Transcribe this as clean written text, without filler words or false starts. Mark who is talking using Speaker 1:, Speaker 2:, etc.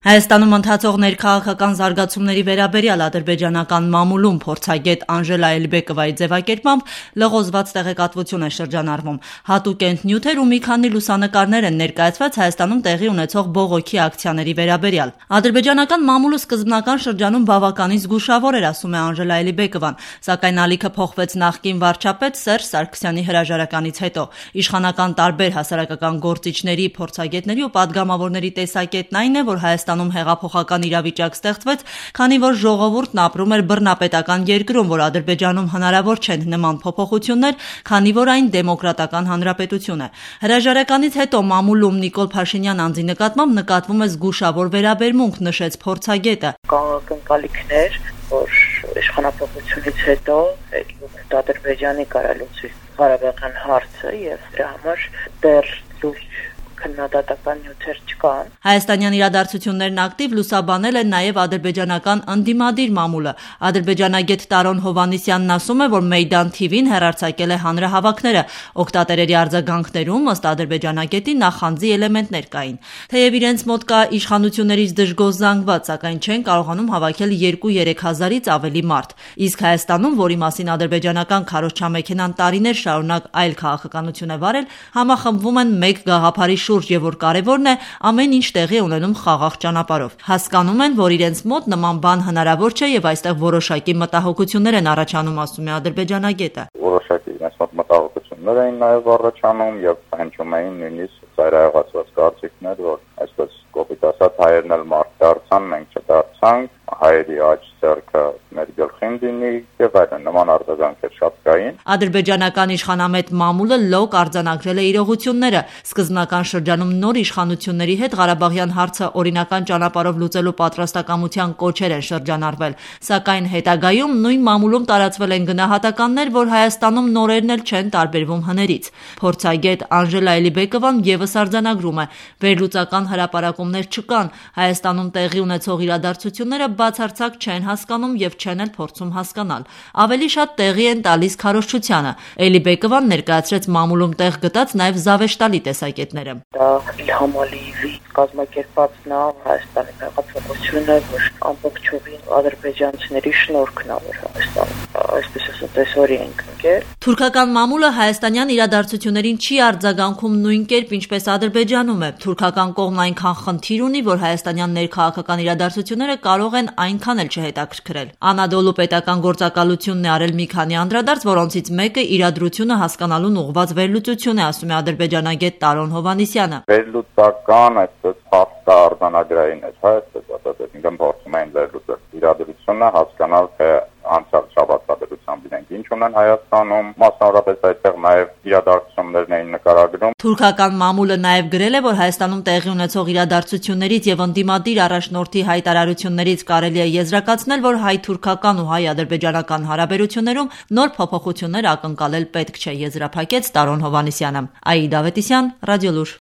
Speaker 1: Հայաստանում ընթացող ներքաղաքական զարգացումների վերաբերյալ ադրբեջանական մամուլում փորձագետ Անժելա Էլիբեկովայի ձևակերպմամբ լղոզված տեղեկատվություն է շրջանառվում։ Հատուկ նյութեր ու մի քանի լուսանկարներ են ներկայացված Հայաստանում տեղի ունեցող բողոքի ակցիաների վերաբերյալ։ Ադրբեջանական մամուլը սկզբնական շրջանում բավականին զգուշավոր էր, ասում է Անժելա Էլիբեկովան, սակայն ալիքը փոխվեց նախկին վարչապետ Սերժ Սարգսյանի հրաժարականից հետո։ Իշխանական տարբեր հասարակական գործիչների, փորձագետների ու падգամավորների տեսակետն այն է, որ Հայաստանում հեղափոխական իրավիճակ ստեղծվեց, քանի որ ժողովուրդն ապրում էր բռնապետական երկրում, որ Ադրբեջանում հնարավոր չեն նման փոփոխություններ, քանի որ այն դեմոկրատական հանրապետություն է։ Հրաժարականից հետո մամուլում Նիկոլ Փաշինյան անձի նկատմամբ նկատվում է զգուշավոր վերաբերմունք, նշեց փորձագետը։
Speaker 2: Կան ակնկալիքներ, որ իշխանապողությունից հետո Ադրբեջանի կարելուցի Ղարաբաղյան հարցը եւ դրա համար դեռ լուրջ քննադատական նյութեր չկան։
Speaker 1: Հայաստանյան իրադարձություններն ակտիվ լուսաբանել է նաև ադրբեջանական ընդդիմադիր մամուլը։ Ադրբեջանագետ Տարոն Հովհաննիսյանն ասում է, որ Մեյդան TV-ն հեռարձակել է հանրահավաքները։ Օգտատերերի արձագանքներում ըստ ադրբեջանագետի նախանձի էլեմենտներ կային։ Թեև իրենց մոտ կա իշխանություններից դժգոհ զանգված, սակայն չեն կարողանում հավաքել 2-3 հազարից ավելի մարդ։ Իսկ Հայաստանում, որի մասին ադրբեջանական քարոզչամեքենան տարիներ շարունակ այլ քաղաքականություն է վարել, համախմբվում են մեկ գաղափարի շուրջ եւ որ կարեւորն է ամեն ինչ տեղի ունենում խաղաղ ճանապարհով։ Հասկանում են, որ իրենց մոտ նման բան հնարավոր չէ եւ այստեղ որոշակի մտահոգություններ են առաջանում, ասում է ադրբեջանագետը։
Speaker 3: Որոշակի իրենց մոտ մտահոգություններ էին նաեւ առաջանում եւ հնչում էին նույնիսկ ծայրահեղացված կարծիքներ, որ այսպես կոպիտ ասած հայերն էլ մարդ դարձան, մենք չդարձանք, հայերի աջ ձեռքը մեր գլխին դինի եւ այլն նման արձագանքեր շատ կային։
Speaker 1: Ադրբեջանական իշխանամետ մամուլը լոկ արձանագրել է իրողությունները։ Սկզբնական շրջանում նոր իշխանությունների հետ Ղարաբաղյան հարցը օրինական ճանապարհով լուծելու պատրաստակամության կոչեր են շրջանառվել, սակայն հետագայում նույն մամուլում տարածվել են գնահատականներ, որ Հայաստանում նորերն էլ չեն տարբերվում հներից։ Փորձագետ Անժելա Էլիբեկովան եւս արձանագրում է, վերլուծական հրապարակումներ չկան, Հայաստանում տեղի ունեցող իրադարձությունները բացարձակ չեն հասկանում եւ չեն էլ փորձում հասկանալ։ Ավելի շատ տեղի են տալիս քարոզչությանը։ Էլիբեկովան ներկայացրեց մամուլում տեղ գտած նաեւ զավեշտալի տեսակետները։
Speaker 2: Դա Իլհամ Ալիևի կազմակերպած Հայաստանի հեղափոխությունը, որ ամբողջովին ադրբեջանցիների շնորհքն է, որ Հայաստանը այսպես ասած տեսօրի ենք ընկել։
Speaker 1: Թուրքական մամուլը հայաստանյան իրադարձություններին չի արձագանքում նույն կերպ, ինչպես Ադրբեջանում է։ Թուրքական կողմն այնքան խնդիր ունի, որ հայաստանյան ներքաղաքական իրադարձությունները կարող են այնքան էլ չհետաքրքրել։ Անադոլու պետական գործակալությունն է արել մի քանի անդրադարձ, որոնցից մեկը իրադրությունը հասկանալուն ուղղված վերլուծություն է, ասում է ադրբեջանագետ Տարոն Հովհաննիսյանը։
Speaker 3: Վերլուծական այսպես փաստա արձանագրային է, այսպես ասած, ինքն փորձում են վերլուծել իրադրությունը, հասկանալ թե անցյալ շաբաթվա դրությամբ իրենք ինչ ունեն Հայաստանում, մասնավորապես այդտեղ նաև իրադարձություններն էին նկարագրում։
Speaker 1: Թուրքական մամուլը նաև գրել է, որ Հայաստանում տեղի ունեցող իրադարձություններից եւ ընդդիմադիր առաջնորդի հայտարարություններից կարելի է եզրակացնել, որ հայ-թուրքական ու հայ-ադրբեջանական հարաբերություններում նոր փոփոխություններ ակնկալել պետք չէ, եզրափակեց Տարոն Հովհաննիսյանը։ Աիդա Ավետիսյան, Ռադիոլուր։